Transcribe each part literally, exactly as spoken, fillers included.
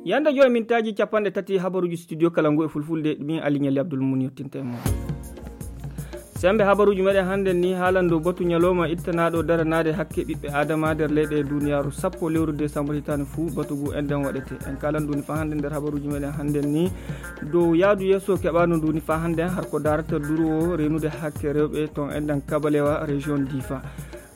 Yande joyi mintaaji capanɗe tati habaruuji studio kala ngu e fulfulde, min Aliñali Abdul Mun yottinta e mon. Sembe habaruuji meɗen hannden ni haalan dow batu ñalawma ittanaɗo daranaade hakke ɓiɓɓe adama nder leyɗe duniyaaru sappo lewru décembre hitaande fuu batu ngu enɗen waɗete. En kaalan nduni faa hannden nder habaruuji meɗen hannden ni dow yaadu yeeso keɓaano nduni faa hannden har ko darata duro o renude hakke rewɓe ton enɗen kabalewa région difa.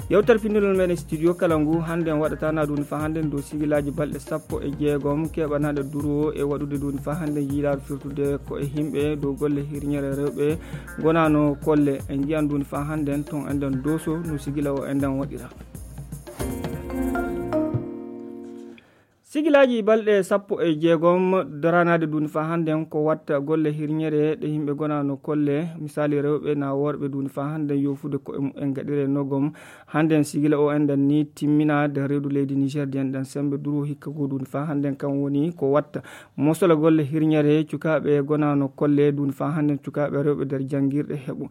Yewtere pinndinol meɗen studio kala ngu hannden waɗatana nduni faa hannden dow sigilaaji balɗe sappo e jeegom keɓanaɗe duro o e waɗude nduni faa hannden yiilaade firtude ko e yimɓe dow golle hirñere rewɓe gonano kolle. En njiyan nduni faa hannden ton enɗen doso no sigila o enɗen waɗira. Sigilaaji balɗe sappo e jeegom daranaade nduni faa hannden ko watta golle hirñere ɗe yimɓe gonano kolle, misaali rewɓe na worɓe nduni faa hannden yofude ko e mumen gaɗire nogom. Hannden sigila o enɗen ni timmina nder reedu leydi Niger di enɗen sembe duro hikka go nduni faa hannden kan woni ko watta mosola golle hirñere cukaaɓe gonano kolle nduni faa hannden cukaaɓe rewɓe nder janngirɗe heɓu.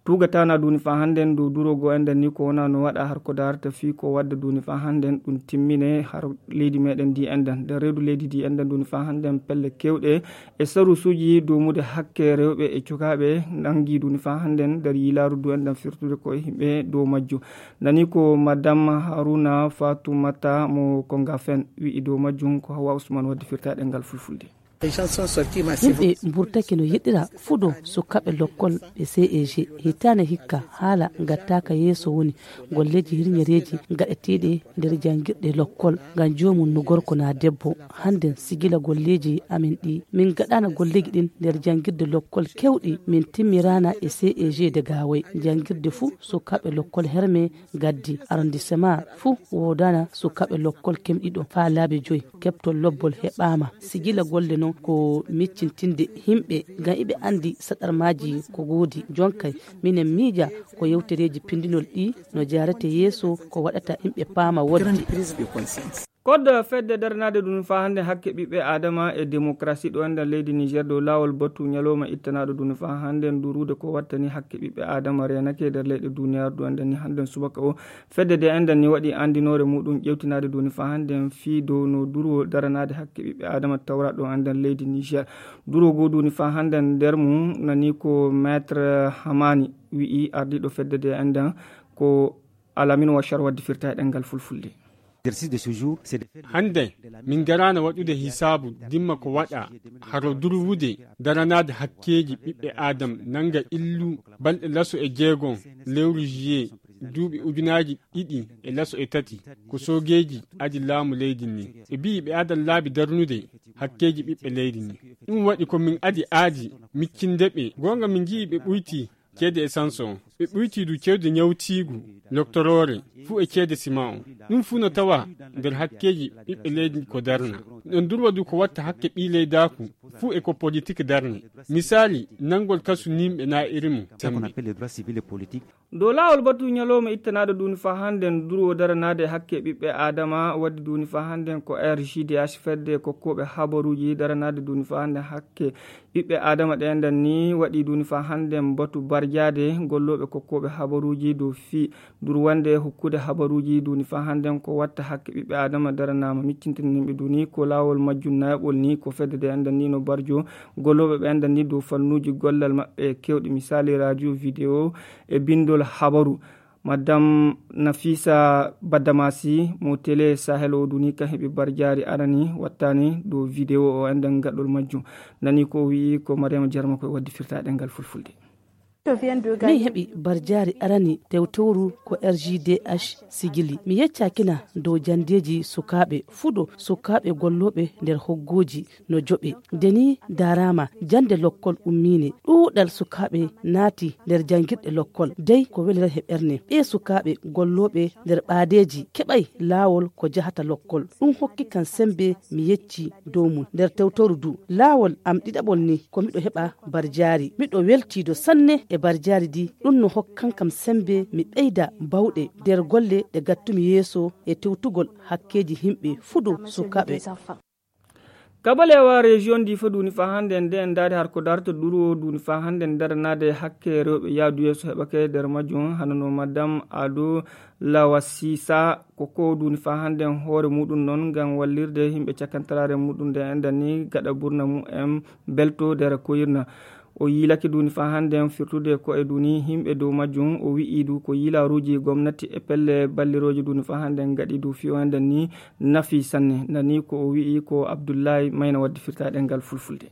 Tugatana nduni faa hannden dow duro go enɗen ni ko wona no waɗa har ko darata fii ko wadda nduni faa hannden ɗum timmine har leydi meɗen ndi enɗen nder reedu leydi ndi enɗen nduni faa hannden pelle kewɗe e sarusuuji dumude hakke rewɓe e cukaaɓe nangi nduni faa hannden nder yiilaaru du enɗen firtude ko e yimɓe dow majjum. Nani ko madame Haruna Fatoumata mo Kongafen wi'i dow majjum ko Hawa Ousmane waddi firtaɗe ngal fulfulde. Yimɓe mburtake no yiɗira fuɗo sukaaɓe lokkol ɓe C E G. Hitaande hikka haala ngattaaka yeeso woni golleeji hirñereeji gaɗeteeɗi nder janngirɗe lokkol ngam joomum no gorko na debbo. Hannden sigila golleeji amin ɗi min gaɗaana golleeji ɗin nder janngirde lokkol kewɗi min timmiraana e C E G de Gaawoy. Janngirde fuu sukaaɓe lokkol herme gaddi arrondissement fuu woodaana sukaaɓe lokkol kemɗiɗo faa laabi joy. Keɓtol lobbol heɓaama sigila golle non ko miccintinde yimɓe ngam iɓe anndi saɗarmaaji ko goodi. Jonkay minen miija ko yewtereeji pinndinol ɗi no jaarete yeeso ko waɗata yimɓe paama wodde. Koddo fedde daranaade ɗum faa hannde hakke ɓiɓɓe adama e demokrasi ɗo enɗen leydi Niger dow laawol batu ñalawma ittanaɗo ɗum faa hannde ndurude ko wattani hakke ɓiɓɓe adama renake nder leyɗe duniyaaru ɗo enɗen ni hannden subaka o. Fedde de enɗen ni waɗi anndinoore muɗum ƴewtinaade ɗum faa hannden fii dow no duro daranaade hakke ɓiɓɓe adama tawra ɗo enɗen leydi Niger. Duro go ɗum faa hannden nder mum nani ko maître Hamani wi'i ardiiɗo fedde de enɗen ko Alamine Wachar waddi firta e ɗemngal fulfulde. Hannde min ngaraano waɗude hisaabu dimma ko waɗa haro durwude daranaade hakkeeji ɓiɓɓe aadam nannga illu balɗe laso e jeegon lewru juillet duuɓi ujunaaji ɗiɗi e laso e tati ko soogeeji adi laamu leydi ndi ɓe mbiyi ɓe adan laabi darnude hakkeeji ɓiɓɓe leydi ndi. Ɗum waɗi ko min adi aadi miccinde ɓe goonga min njiyi ɓe ɓuyti ceede essence o ɓe ɓuyti du ceede ñawtiigu loktoroore fuu e ceede sima o. Ɗum fuu no tawa nder hakkeeji ɓiɓɓe leydi ko darna. Ɗon durwa du ko watta hakke ɓii leydaaku fuu e ko politik darni. Misaali nanngol kasu nimɓe na iri mum sembe. Dow laawol batu ñalawma ittanaaɗo duuni faa hannden durwo daranaade hakke ɓiɓɓe aadama waddi duuni faa hannden ko R G D H fedde kokkooɓe habaruuji daranaade duuni faa hannden hakke ɓiɓɓe aadama ɗe enɗan ni waɗi duuni faa hannden batu barjaade gollooɓe kokkooɓe habaruuji dow fii durwande hokkude habaruuji duuni faa hannden ko watta hakke ɓiɓɓe aadama daranaama miccintinimɓe duuni ko laawol majjum nayaɓol ni ko fedde de enɗan ni no barjo gollooɓe ɓe enɗan ni dow fannuuji gollal maɓɓe kewɗi misaali radio video e binndol habaru. Madame Nafisa Badamasi mo tele sahel o duni kan heɓi barjaari arani wattani dow video o enɗan gaɗɗol majjum. Nani ko o wi'i ko Mariama Jarma koye waddi firta ɗemngal fulfulde. Min heɓi barjaari arani tewtowru ko R G D H sigili mi yeccakina dow janndeeji sukaaɓe fuɗo sukaaɓe gollooɓe nder hoggooji no joɓe. Nde ni ndaaraama jannde lokkol ummiine ɗuuɗal sukaaɓe naati nder janngirɗe lokkol dey ko weliray he ɓerne ɓee sukaaɓe gollooɓe nder ɓaadeeji keɓay laawol ko jahata lokkol. Ɗum hokki kan semmbe mi yecci dow mum nder tewtoru du laawol am ɗiɗaɓol ni ko miɗo heɓa barjaari miɗo weltiido sanne e barjaari di. Ɗum no hokkan kam semmbe mi ɓeyda bawɗe nder golle ɗe gattumi yeeso e tewtugol hakkeeji yimɓe fuɗo sukaaɓe. Kabalewa rejiyon difa duni fa hande nde en daari har ko darta duro duni fa hande nder nade hakke rewɓe yaadu yeeso heɓake nder majjum hanano madame ado lawasisa ko ko duni fa hande hoore muɗum noon ngam wallirde yimɓe cakantaraare muɗum nde enda ni gaɗa burna mumen belto nder koyirna. O yiilake duni fa hande firtude ko e duni yimɓe dow majjum. O wi'i du ko yiilaaruuji gomnati e pelle ballirooje duni fa hande ngaɗi du fiyo enda ni nafi sanne. Nani ko o wi'i ko Abdullahi Mayna wadde firtaɗe ngal fulfulde.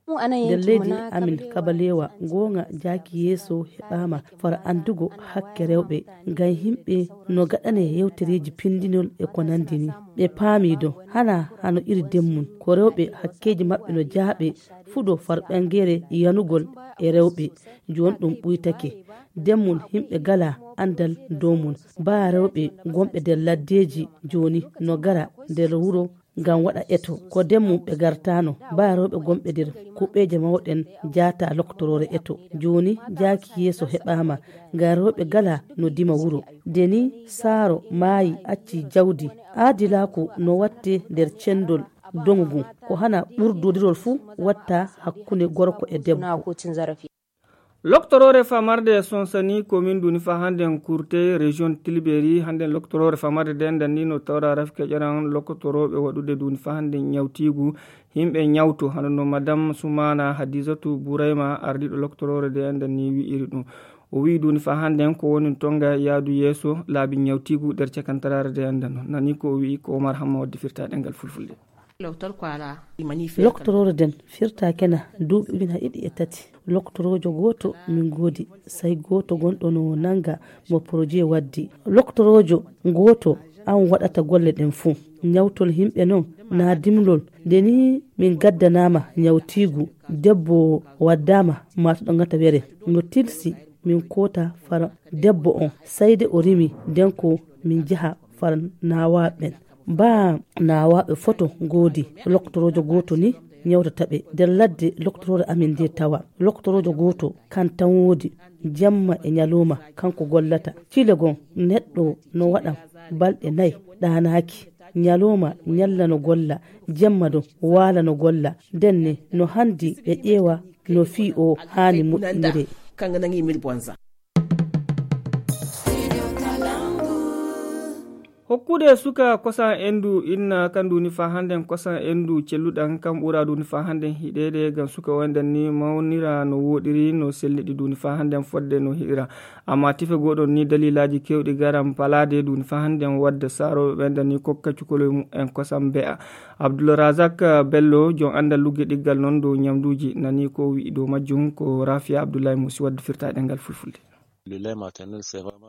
Nder leydi amin kabalewa goonga jaaki yeeso heɓaama fara anndugo hakke rewɓe ngam yimɓe no gaɗane yewtereeji pindinol e ko nanndi ni. Ɓe paami do hana hano iri demmum ko rewɓe hakkeeji maɓɓe no jaaɓe fuɗo far ɓangere yanugol e rewɓe. Jooni ɗum ɓuytake demmum yimɓe gala anndal dow mum baa rewɓe gonɓe nder laddeeji jooni no gara nder wuro ngam waɗa eto ko demmum ɓe gartano baa rewɓe gonɓe nder kuɓeeje mawɗen jaata loktoroore eto. Jooni jaaki yeeso heɓaama ngam rewɓe gala no dima wuro. Deni saaro maayi acci jawdi aadilaaku no watte nder cendol doŋu ngun ko hana ɓurdodirol fuu watta hakkunde gorko e debbo. Loktoroore famarde sonsani komin duni fa hande kurte région tilberi hande loktoroore famarde de ndanni no tawra rafke ƴaran lokotoroɓe waɗude duni fa hande ñawtigu yimɓe ñawto hano no madame sumana hadisatu burayma ardiɗo loktoroore de ndanni wi'iri ɗum. O wi'i duni fa hande ko woni tonga yaadu yeeso laabi ñawtigu nder cakantaraare de ndanno nani ko o wi'i ko omar hamma wadde firta ɗengal fulfulde. Loktoroore den firta kena duuɓi ujuna ɗiɗi e tati. Loktorojo gooto min goodi sai gooto gonɗo no nanga mo projet waddi. Loktorojo gooto an waɗata golle ɗen fuu. Nyawtol himɓe non na dimlol. Nde ni min gaddanama nyawtiigu debbo waddama matuɗo ngata were no tilsi min koota fara debbo on sai de o rimi den ko min jaha fara nawaɓen. Baa naawaaɓe foto ngoodi. Loktoroojo gooto ni nyawtata ɓe. Nder ladde loktoroojo amin nde tawa loktoroojo gooto kan tan woodi. Jemma e nyalooma kanko gollata. Cile gon neɗɗo no waɗa balɗe nay ɗaanaaki. Nyalooma nyalla no golla. Jemma don waala no golla. Ndenne no handi ɓe ƴeewa no fii o haani moƴƴinire. Hokkude suka kosam endu inna kan duni fa handen kosam endu celluɗan kan ɓura duni fa handen hiɗede ngam suka o enden ni mawnira no woɗiri no sellidi duni fa handen fodde no hiɗira. Amma tife goɗon ni dalilaji kewɗi garan palade duni fa handen wadde saroɓe ɓenden ni kokka cukoloy mumen kosam be'a. Abdulrazak Bello jon andal lugge ɗiggal non dow nyamduji nani ko wi'i dow majjum ko Rafia Abdullahi Musi wadde firtaɗe ngal fulfulde.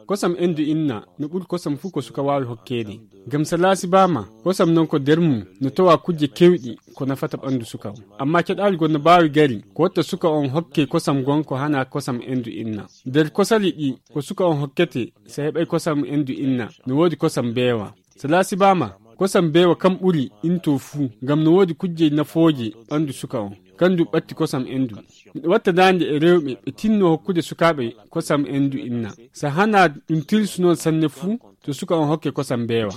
Kosam endu inna no ɓuri kosam fuu ko suka waawi hokkeede. Ngam salaasi baama kosam non ko nder mum no tawa kujje kewɗi ko nafata ɓandu suka on. Amma keɗaali gon no baawi gari ko watta suka on hokke kosam gon ko hana kosam endu inna. Nder kosali ɗi ko suka on hokkete so heɓay kosam endu inna no woodi kosam beewa. Salaasi baama kosam beewa kam ɓuri into fuu ngam no woodi kujje nafooje ɓandu suka on. Kandu ɓatti kosam endu. Miɗo watta daande e rewɓe ɓe tinno hokkude sukaaɓe kosam endu inna. So hana ɗum tilsu noon sanne fuu to suka on hokke kosam beewa.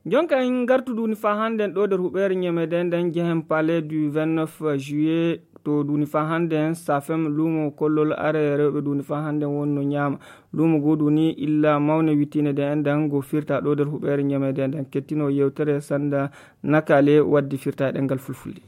Jonka en ngartu duni fa handen ɗo nder huɓeere ñamede nden jehen palais du vingt-neuf juillet to duni fa handen safem lumo kollol are rewɓe duni fa handen wonno ñaama. Lumo goo duni illa mawne wittine de endan go firta ɗo nder huɓeere ñamede nden kettino yewtere sanda nakale waddi firta ɗengal fulfulde.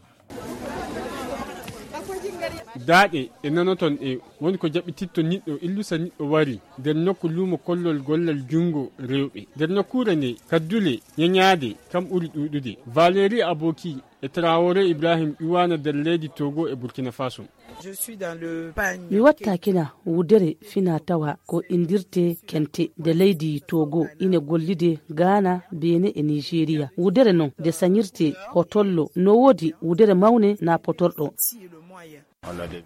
Daaɗe ɗe nanoton ɗe woni ko jaɓɓititto niɗɗo illusa niɗɗo wari nder nokku luumo kollol gollal junngo rewɓe nder nokkuure nde kaddule ñañaade kam ɓuri ɗuuɗude. Valérie Aboki e Traoré Ibrahim iwaana nder leydi Togo e Burkina Faso. Mi watta kina wudere fina tawa ko indirte kente nde leydi Togo ine gollide Ghana, Benin e Nigeria. Wudere non nde sañirte hotollo no woodi wudere mawne na potorɗo.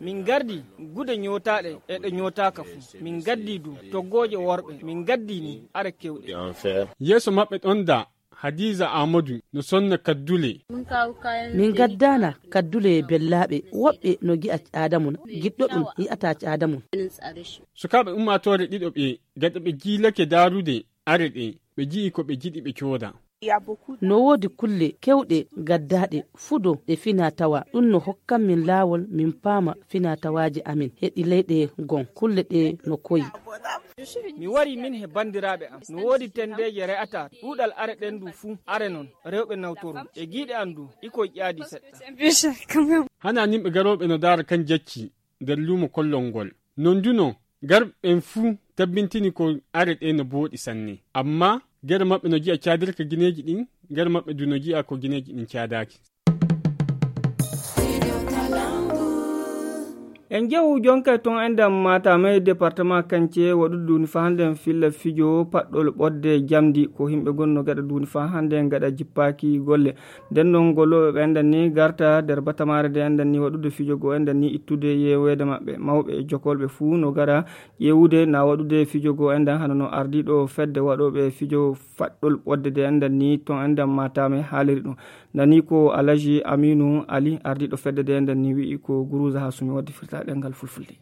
Min gardi gude ñootaɗe e ɗe ñootaaka fu. Min gaddi du toggooje worɓe. Min gaddi ni are kewɗe. Yeeso maɓɓe ɗon da Hadiza Amadu no sonna kaddule. Min gaddaana kaddule bellaaɓe woɓɓe no gi'a caadamun giɗɗo ɗum yi'ata caadamun. Sukaaɓe ummaatoore ɗiɗo ɓe gada ɓe jiilake daarude are ɗe ɓe ji'i ko ɓe jiɗi ɓe cooda. No woodi kulle keewɗe gaddaaɗe fudo ɗe fina tawa. Ɗum no hokkan min laawol min paama fina tawaaji amin e ɗi leyɗe gon. Kulle ɗe no koyi. Mi wari min he banndiraaɓe am. No woodi tenndeeje re'ataa. Ɗuuɗal are ɗen du fuu. Are non, rewɓe nawtoru. E giiɗe am du, ikoy ƴaadi seɗɗa. Hana nimɓe garooɓe no daara kan jacci nder luumo kollol ngol. Non du no, garɓe ɓen fuu tabbintini ko are ɗe no booɗi sanne. Amma gere maɓɓe no ji'a caadirka gineeji ɗin, gere maɓɓe du no ji'a ko gineeji ɗin caadaaki. En jehu jonkay ton e nder Matam e département Kance waɗude duuni fa hannde en filla fijo paɗɗol ɓodde jamdi ko himɓe gonno gaɗa duuni fa hannde en gaɗa jippaaki golle. Nden non gollooɓe ɓe enɗan ni garta nder batamaare nde enɗan ni waɗude fijo goo enɗan ni ittude yeweede maɓɓe. Mawɓe e jokolɓe fuu no gara ƴeewude na waɗude fijo goo enɗan hano no ardiiɗo fedde waɗooɓe fijo faɗɗol ɓodde nde enɗan ni ton enɗan Matam e haaliri ɗum. Nani ko Alhaji Aminu Ali, ardiiɗo fedde nde enɗan ni wi'i ko Guruza Hasumi waddi firta ɗemngal Fulfulde.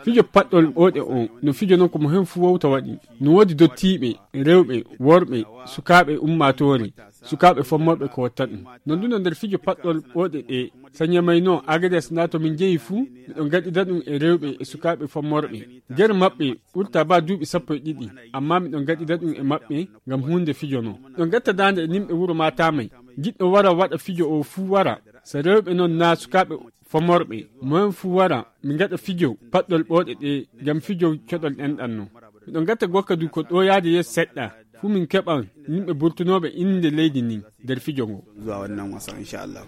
Fijo paɗɗol ɓooɗe o, no fijo non ko mo hen fuu wowta waɗi. No woodi dottiiɓe, rewɓe, worɓe, sukaaɓe ummaatoore, sukaaɓe fommorɓe ko watta ɗum. No ndu no nder fijo paɗɗol ɓooɗe ɗe, so Ñamay no Agades na to min jehi fuu, miɗo gaɗida ɗum e rewɓe e sukaaɓe fommorɓe. Nder maɓɓe ɓurta ba duuɓi sappo e ɗiɗi, amma miɗo gaɗida ɗum e maɓɓe ngam huunde fijo non. Miɗo gatta daande e nimɓe wuro Matamay. Giɗɗo wara waɗa fijo o fuu wara. So rewɓe non na sukaaɓe fommorɓe, moyen fuu wara, mi gaɗa fijo paɗɗol ɓooɗe ɗe, ngam fijo coɗol ɗenɗan non. Miɗo gatta gokka du ko ɗo yaade yeeso seɗɗa, fuu min keɓan yimɓe burtunooɓe innde leydi ndin nder fijo ngo. Zuwa wannan wasa, insha Allah.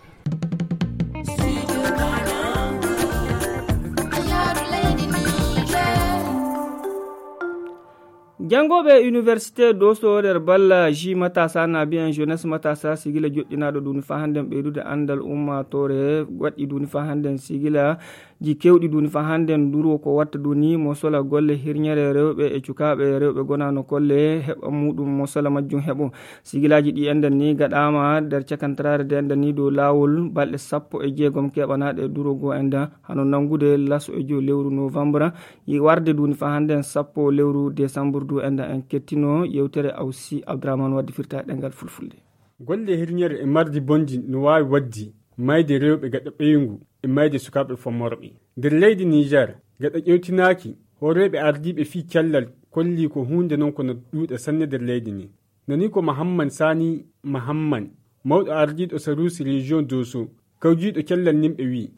Janngooɓe université Doso nder balla ji matasa na biyan jeunesse matasa sigila joɗɗinaaɗo duni fa hannden ɓeydude anndal ummaatoore waɗɗi duni fa hannden sigila ji kewɗi duni fa hannden durwo ko watta duni mo sola golle hirñere rewɓe e cukaaɓe rewɓe gonaano kolle heɓa muɗum mo sola majjum heɓo. Sigilaaji ɗi enɗan ni gaɗaama nder cakantaraare nde enɗan ni dow laawol balɗe sappo e jeegom keɓanaaɗe durwo goo enɗan hano nanngude laso e jow lewru novembre. Yi warde duni fa hannden sappo lewru décembre du enɗan en kettino yewtere Awsi Abdourahmane waddi firta ɗemngal Fulfulde. Golle hirñere e mardi bonji no waawi waddi mayde rewɓe gaɗa ɓeyngu e mayde sukaaɓe fommorɓe. Nder leydi Niger, gaɗa ƴewtinaaki, hooreeɓe ardiiɓe fii cellal kolli ko huunde non ko no ɗuuɗa sanne nder leydi ndin. Nani ko Mahamman Sani Mahamman, mawɗo ardiiɗo Sarusi Region Doso, kawjiiɗo cellal nimɓe wi'i.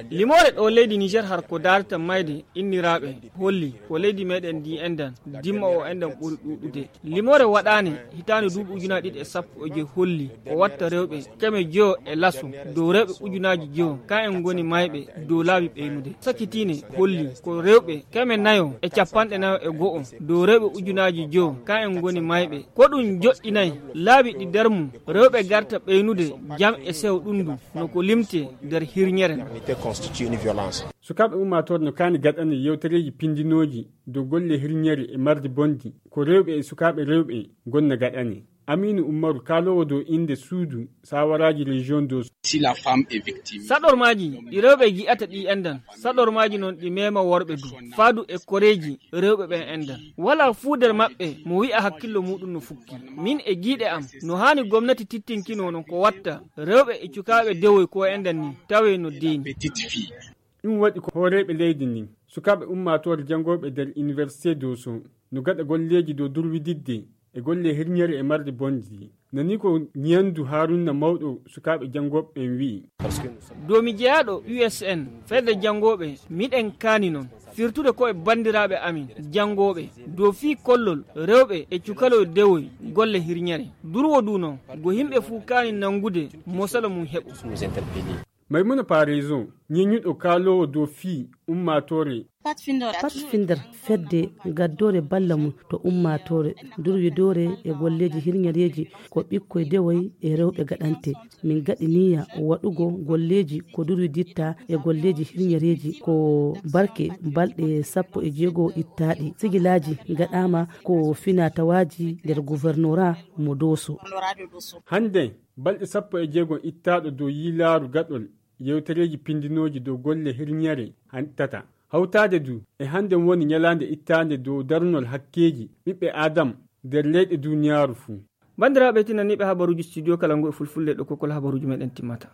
Limoore ɗo leydi Niger har ko daarata mayde inniraaɓe holli ko leydi meɗen ndi enɗan dimma o enɗan ɓuri ɗuuɗude. Limoore waɗaane hitaande duuɓi ujunaaji ɗiɗi e sappo e joy holli ko watta rewɓe keme joyo e laso dow rewɓe ujunaaji joyo ka en ngoni mayɓe dow laabi ɓeynude. Sakitiine holli ko rewɓe keme nayo e capanɗe nayo e go'o dow rewɓe ujunaaji joyo ka en ngoni mayɓe. Ko ɗum joɗɗinay laabi ɗi nder mum rewɓe garta ɓeynude jam e sew ɗundu no ko limte nder hirñere. Sukaaɓe ummaatoore no kaani gaɗane yewtereeji pindinooji dow golle hirñere e mardi bonndi ko rewɓe e sukaaɓe rewɓe gonna gaɗane. Amiinu Ummaru kaaloowo dow innde suudu saawaraaji rejiyon dow. Saɗormaaji ɗi rewɓe gi'ata ɗi enɗan saɗormaaji noon ɗi meema worɓe du faadu e koreeji rewɓe ɓen enɗan walaa fuu nder maɓɓe mo wi'a hakkillo muuɗum no fukki. Min e giiɗe am no haani gomnati tittinkinoo no ko watta rewɓe e cukaaɓe dewoy ko enɗan ni tawee no deeni. Ɗum waɗi ko hooreeɓe leydi ndin sukaaɓe ummaatoore janngooɓe nder iniwersite doso no gaɗa golleeji dow durwididde e golle hirñere e marde bonndi. Nani ko ñiyandu haarunna mawɗo sukaaɓe janngooɓe ɓen wi'i. Dow mi jeyaaɗo usn fedde janngooɓe miɗen kaani non firtude ko e banndiraaɓe amin janngooɓe dow fii kollol rewɓe e cukaloy dewoy golle hirñere. Durwo du non go yimɓe fuu kaani nanngude mosala mum heɓo. Maymuna Parezo ñeñuɗo kaaloowo dow fii ummaatoore. Pat finder fedde gaddoore balla mum to ummaatoore durwidoore e golleeji hirñereeji ko ɓikkoy dewoy e rewɓe gaɗante. Min gaɗi niyya waɗugo golleeji ko durwiditta e golleeji hirñereeji ko barke balɗe sappo e jeego ittaaɗi sigilaaji gaɗaama ko finatawaaji nder guvernora mo dooso. Hannde balɗe sappo e jeego ittaaɗo dow yiilaaru gaɗol yewtereeji pindinooji dow golle hirñere hanɗtata. Hawtaade du e hannden woni ñalaande ittaande dow darnol hakkeeji ɓiɓɓe Aadam nder leyɗe duuniyaaru fuu. Banndiraaɓe tinaniiɓe habaruuji studio kala ngu e fulfulde ɗo kokkol habaruuji meɗen timmata.